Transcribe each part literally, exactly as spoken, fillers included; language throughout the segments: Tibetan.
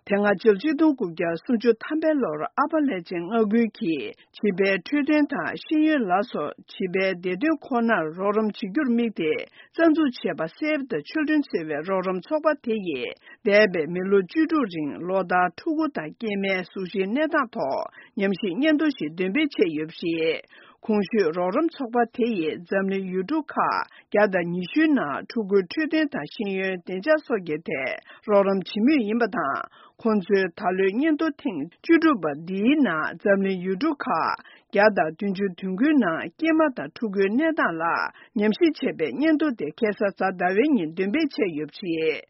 དེ་སྔ་ཕྱི་ལོ་ཆིག་སྟོང་དགུ་བརྒྱ་སུམ་ཅུ་ཐམ་པའི་ལོར་ཨ་ཕ་ལྷས་བྱིན་མངའ་ཁུལ་གྱིས་བྱིས་པའི་འཕྲོད་བསྟེན་དང་ཤེས་ཡོན་ལ་སོགས་བྱིས་པའི་བདེ་དོན་ཁོ་ནར་རོགས་རམ་བྱེད་རྒྱུར་དམིགས་ཏེ་རྩ་འཛུགས་བྱས་པ་Save the Children ཟེར་བའི་རོགས་རམ་ཚོགས་པ་དེ་ཡིས་འདས་པའི་མི་ལོ་བཅུ་དྲུག་རིང་ལོ་ལྟར་ཕྲུ་གུ་དང་སྐྱེས་མའི་གཟུགས་གཞིའི་གནས་སྟངས་ཐོག་ཉམས་ཞིབ་སྙན་ཐོ་ཞིག་འདོན་སྤེལ་བྱས་ཡོད་པ་རེད། གོང་ཞུས་རོགས་རམ་ཚོགས་པ་དེ་ཡིས་འཛམ་གླིང་ཡུལ་གྲུ་ཁག་བརྒྱ་དང་ཉི་ཤུའི་ནང་ཕྲུ་གུའི་འཕྲོད་བསྟེན་དང་ཤེས་ཡོན་བདེ་འཇགས་སོགས་ཀྱི་ཐད་རོགས་རམ་བྱེད་མུས་ཡིན་པ་དང་། ཁོང་ཚོའི་ད་ལོའི་སྙན་ཐོ་ཐེངས་བཅུ་དྲུག་པ་འདིའི་ནང་འཛམ་གླིང་ཡུལ་གྲུ་ཁག་བརྒྱ་དང་བདུན་ཅུ་དོན་དགུའི་ནང་སྐྱེས་མ་དང་ཕྲུ་གུའི་གནས་སྟངས་ལ་ཉམས་ཞིབ་བྱས་པའི་སྙན་ཐོ་དེ་ཁ་སང་གཟའ་ཟླ་བའི་ཉིན་འདོན་སྤེལ་བྱས་ཡོད་པ་རེད།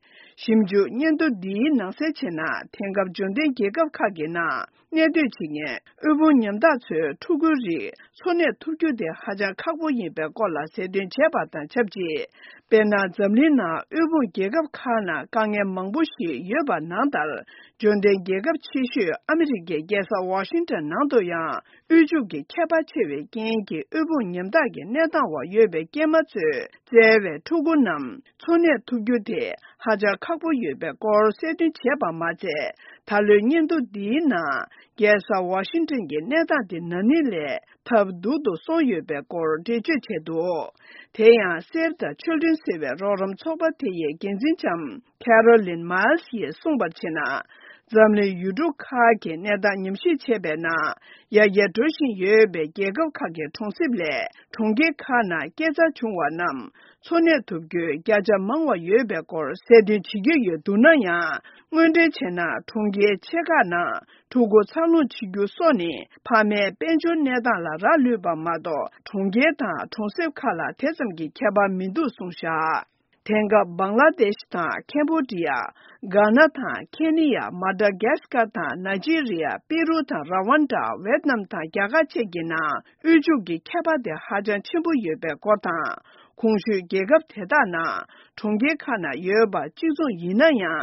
ཞིབ་འཇུག་སྙན་ཐོ་འདིའི་ནང་གསལ་བྱས་ན། དེང་སྐབས་འབྱོར་ལྡན་རྒྱལ་ཁབ་ཁག་གི་ནང་གནས་སྡོད་བྱེད་མཁན་དབུལ་ཕོངས་ཉམ་ཐག་ཚོའི་ཕྲུ་གུའི་རིགས་འཚོ་གནས་ཐུབ་རྒྱུ་དེ་ཧ་ཅང་ཁག་པོ་ཡིན་པའི་སྐོར་ལ་གསལ་སྟོན་བྱས་པ་དང་ཆབས་ཅིག་དཔེར་ན། འཛམ་གླིང་ནང་དབུལ་ཕོངས་རྒྱལ་ཁབ་ཁག་ནང་དཀའ་ངལ་མང་པོ་ཞིག་ཡོད་པ་ནང་ལྟར། འབྱོར་ལྡན་རྒྱལ་ཁབ་ཆེ་ཤོས་ཨ་མི་རི་ཀའི་རྒྱལ་ས་ཝ་ཤིང་ཊོན་ནང་དུ་ཡང་། དབུལ་ཕྱུག་གི་ཁྱད་པར་ཆེ་བའི་རྐྱེན་གྱིས་དབུལ་ཕོངས་ཉམ་ཐག་གི་གནས་སྟངས་འོག་ཡོད་པའི་སྐྱེས་མ་ཚོས་བཙལ་བའི་ཕྲུ་གུ་རྣམས་འཚོ་གནས་ཐུབ་རྒྱུ་དེ་ཧ་ཅང་ཁག་པོ་ཡོད་པའི་སྐོར་གསལ་སྟོན་བྱས་པ་མ་ཚད། ད་ལོའི་སྙན་ཐོ་འདིའི་ནང་རྒྱལ་ས་ཝ་ཤིང་ཊོན་གྱི་གནས་སྟངས་དེ་ན་ནིང་ལས་ཐབས་སྡུག་ཏུ་སོང་ཡོད་པའི་སྐོར་འགྲེལ་བརྗོད་བྱས་འདུག་དེ་ཡང་Save the Children ཟེར་བའི་རོགས་རམ་ཚོགས་པ་དེ་ཡི་འགན་འཛིན་ལྕམ་Carolyn Miles ཡིས་གསུངས་པར་བྱས་ན། འཛམ་གླིང་ཡུལ་གྲུ་ཁག་གི་གནས་སྟངས་ཉམས་ཞིབ་བྱས་པའི་ནང་། ཡར་རྒྱས་འགྲོ་བཞིན་ཡོད་པའི་རྒྱལ་ཁབ་ཁག་གི་གྲོང་གསེབ་ལས་གྲོང་ཁྱེར་ཁག་ནང་སྐྱེས་འཚར་བྱུང་བ་རྣམས་འཚོ་གནས་ཐུབ་རྒྱུའི་བརྒྱ་ཆ་མང་བ་ཡོད་པའི་སྐོར་གསལ་སྟོན་བྱེད་ཀྱི་ཡོད་འདུག་ན་ཡང་། དངོས་འབྲེལ་བྱས་ན་གྲོང་ཁྱེར་ཆེ་ཁག་ནང་ཕྲུ་གུ་འཚར་ལོངས་བྱེད་རྒྱུ་སོགས་ནི་ཕ་མའི་དཔལ་འབྱོར་གནས་སྟངས་ལ་རག་ལུས་པ་མ་གཏོགས། གྲོང་ཁྱེར་དང་གྲོང་གསེབ་ཁག་ལ་དེ་ཙམ་གྱི་ཁྱད་པར་མི་འདུག་གསུངས་བཞག་དེང་སྐབས་བང་ལ་དེཤ་དང་ཁེམ་བྷོ་ཌི་ཡ། གྷ་ན་དང་ཁེ་ནི་ཡ། མ་ཌ་གྷ་སི་ཀར་དང་ནཱི་ཇི་རི་ཡ། པི་རུ་དང་ར་ཝན་ཌ། ཝེད་ནམ་དང་རྒྱ་གར་བཅས་ཀྱི་ནང་དབུལ་ཕྱུག་གི་ཁྱད་པར་དེ་ཧ་ཅང་ཆེན་པོ་ཡོད་པའི་སྐོར་དང་། གོང་ཞུས་རྒྱལ་ཁབ་དེ་དག་ནང་གྲོང་ཁྱེར་ཁག་ན་ཡོད་པ་གཅིག་མཚུངས་ཡིན་ན་ཡང་།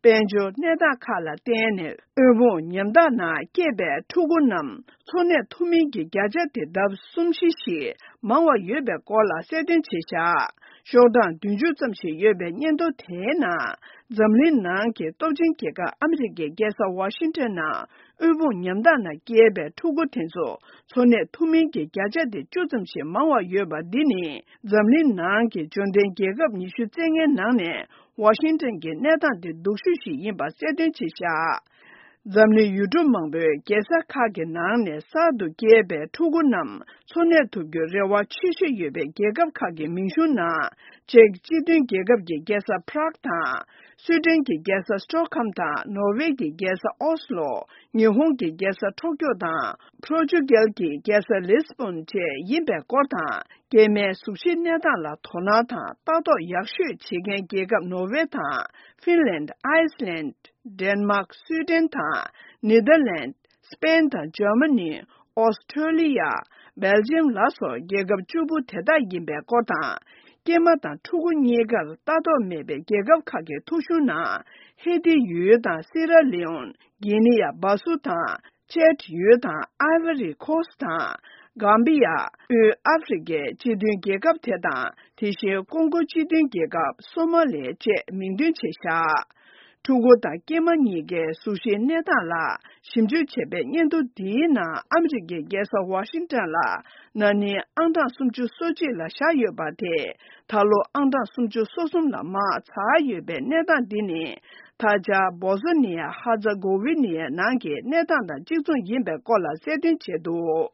དཔལ་འབྱོར་གནས་སྟངས་ཁག་ལ་བརྟེན་ནས་དབུལ་ཕོངས་ཉམ་ཐག་ནང་སྐྱེས་པའི་ཕྲུ་གུ་རྣམས་འཚོ་གནས་ཐུབ་མིན་གྱི་བརྒྱ་ཆ་དེ་ལྡབ་གསུམ་བཞི་ཞིག་མང་བ་ཡོད་པའི་སྐོར་ལ་གསལ་སྟོན་བྱས་བཞག་ཤོག་གྲངས་བདུན་ཅུ་ཙམ་ཞིག་ཡོད་པའི་སྙན་ཐོ་དེའི་ནང་། འཛམ་གླིང་ནང་གི་སྟོབས་ཆེན་རྒྱལ་ཁབ་ཨ་མི་རི་ཀའི་རྒྱལ་ས་ཝ་ཤིང་ཊོན་ནང་དབུལ་ཕོངས་ཉམ་ཐག་ནང་སྐྱེས་པའི་ཕྲུ་གུ་དེ་ཚོ་འཚོ་གནས་ཐུབ་མིན་གྱི་བརྒྱ་ཆ་དེ་བཅུ་ཙམ་ཞིག་མང་བ་ཡོད་པ་འདི་ནི། འཛམ་གླིང་ནང་གི་འབྱོར་ལྡན་རྒྱལ་ཁབ་ཉི་ཤུ་རྩ་ལྔའི་ནང་ནས་ཝ་ཤིང་ཊོན་གྱི་གནས་སྟངས་དེ་སྡུག་ཤོས་ཤིག་ཡིན་པ་གསལ་སྟོན་བྱས་བཞག་འཛམ་གླིང་ཡུལ་གྲུ་མང་པོའི་རྒྱལ་ས་ཁག་གི་ནང་ནས་གསར་དུ་སྐྱེས་པའི་ཕྲུ་གུ་རྣམས་འཚོ་གནས་ཐུབ་རྒྱུའི་རེ་བ་ཆེ་ཤོས་ཡོད་པའི་རྒྱལ་ཁབ་ཁག་གི་མིང་གཞུང་ནང་། ཅེཀ་སྤྱི་མཐུན་རྒྱལ་ཁབ་ཀྱི་རྒྱལ་ས་Prague དང་། སུའེ་ཏེན་གྱི་རྒྱལ་ས་Stockholm དང་། ནོར་ཝེ་གྱི་རྒྱལ་ས་ཨོ་སི་ལོ། ཉི་ཧོང་གི་རྒྱལ་ས་ཊོ་ཀྱོ་དང་། པོར་ཅུ་གལ་གྱི་རྒྱལ་ས་ལི་སི་བོན་བཅས་ཡིན་པའི་སྐོར་དང་། སྐྱེས་མའི་གཟུགས་གཞིའི་གནས་སྟངས་ལ་དོ་སྣང་དང་ལྟ་རྟོག་ཡག་ཤོས་བྱེད་མཁན་རྒྱལ་ཁབ་ནོར་ཝེ་དང་། ཧྥིན་ལན། ཨའི་སི་ལན། ཌེན་མཱག་སུའེ་ཏེན་དང་། ནེ་དར་ལན། སི་པེན་དང་འཇར་མ་ནི། ཨོ་སི་ཁྲོ་ལི་ཡ། སྦེལ་ཇམ་ལ་སོགས་རྒྱལ་ཁབ་བཅུ་པོ་དེ་དག་ཡིན་པའི་སྐོར་དང་། སྐྱེས་མ་དང་ཕྲུ་གུ་གཉིས་ཀར་ལྟ་རྟོག་མེད་པའི་རྒྱལ་ཁབ་ཁག་གི་ཐོ་གཞུང་ནང་། ཧེ་ཏི་ཡུལ་དང་སི་ར་ལི་ཨོན། གྷི་ནི་ཡ་སྦ་སུ་དང་། ཅེད་ཡུལ་དང་། ཨའི་ཝ་རི་ཁོ་སི་དང་། གམ་བི་ཡ། དབུས་ཨ་ཧྥེ་རི་ཁའི་སྤྱི་མཐུན་རྒྱལ་ཁབ་དེ་དང་། དེ་བཞིན་ཀོང་གོ་སྤྱི་མཐུན་རྒྱལ་ཁབ། སོ་མ་ལི་བཅས་མིང་འདོན་བྱས་བཞག་ཕྲུ་གུ་དང་སྐྱེས་མ་གཉིས་ཀའི་གཟུགས་གཞིའི་གནས་སྟངས་ལ་ཞིབ་འཇུག་བྱས་པའི་སྙན་ཐོ་འདིའི་ནང་ཨ་མི་རི་ཀའི་རྒྱལ་ས་ཝ་ཤིང་ཊོན་ལ་ན་ནིང་ཨང་གྲངས་སུམ་ཅུ་སོ་གཅིག་ལ་བཞག་ཡོད་པ་དེ། ད་ལོ་ཨང་གྲངས་སུམ་ཅུ་སོ་གསུམ་ལ་མར་འཛེགས་ཡོད་པའི་གནས་སྟངས་འདི་ནི། ད་ཆ་བོ་སི་ནི་ཡ་ཧ་ཛ་གོ་ཝི་ནི་ཡའི་ནང་གི་གནས་སྟངས་དང་གཅིག་མཚུངས་ཡིན་པའི་སྐོར་ལ་གསལ་སྟོན་བྱས་འདུག